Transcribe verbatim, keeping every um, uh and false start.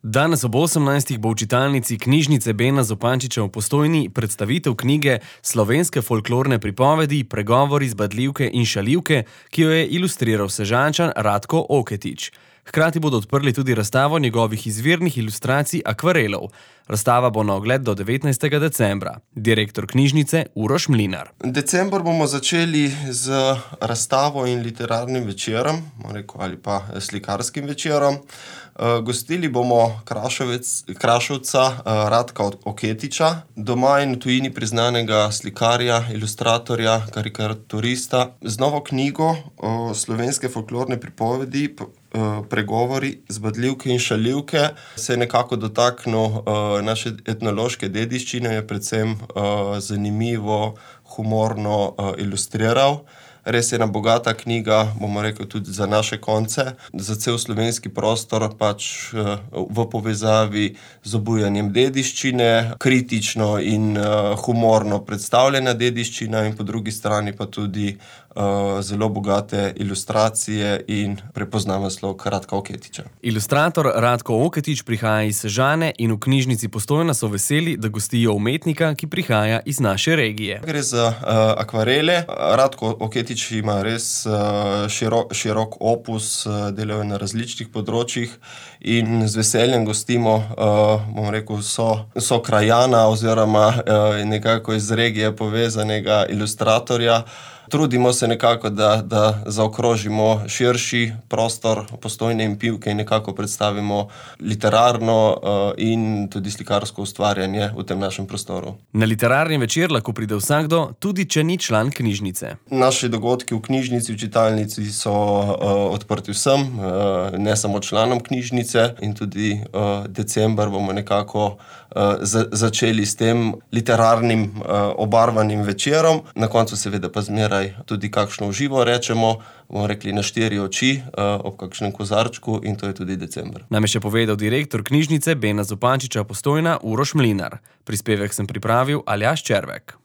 Danes ob osemnajstih bo v čitalnici knjižnice Bena Zupančiča v Postojni predstavitev knjige Slovenske folklorne pripovedi, pregovori, zbadljivke in šaljivke, ki jo je ilustriral Sežančan Ratko Oketič. Hkrati bodo odprli tudi razstavo njegovih izvirnih ilustracij akvarelov. Razstava bo na ogled do devetnajstega decembra. Direktor knjižnice Uroš Mlinar. December bomo začeli z razstavo in literarnim večerom, rekel, ali pa slikarskim večerom. Gostili bomo Kraševec, Kraševca Ratka Oketiča, doma in v tujini priznanega slikarja, ilustratorja, karikaturista, z novo knjigo o slovenske folklorne pripovedi, pregovori, zbadljivke in šaljivke. Se je nekako dotaknil naše etnološke dediščine, je predvsem zanimivo, humorno ilustriral. Res je ena bogata knjiga, bomo rekel, tudi za naše konce, za cel slovenski prostor, pač v povezavi z obujanjem dediščine, kritično in humorno predstavljena dediščina in po drugi strani pa tudi zelo bogate ilustracije in prepoznaven slog Ratka Oketiča. Ilustrator Ratko Oketič prihaja iz Sežane in v knjižnici Postojna so veseli, da gostijo umetnika, ki prihaja iz naše regije. Gre za uh, akvarele. Ratko Oketič ima res uh, širok, širok opus, uh, delajo na različnih področjih in z veseljem gostimo, uh, bom rekel, so, so krajana oziroma uh, nekako iz regije povezanega ilustratorja. Trudimo se nekako, da, da zaokrožimo širši prostor Postojne in Pivke in nekako predstavimo literarno uh, in tudi slikarsko ustvarjanje v tem našem prostoru. Na literarni večer lahko pride vsakdo, tudi če ni član knjižnice. Naši dogodki v knjižnici, v čitalnici so uh, odprti vsem, uh, ne samo članom knjižnice, in tudi uh, december bomo nekako uh, za, začeli s tem literarnim uh, obarvanim večerom. Na koncu seveda pa zmeraj tudi kakšno uživo rečemo, bomo rekli na štiri oči, uh, ob kakšnem kozarčku, in to je tudi december. Nam je še povedal direktor knjižnice Bena Zupančiča Postojna Uroš Mlinar. Prispevek sem pripravil Aljaž Červek.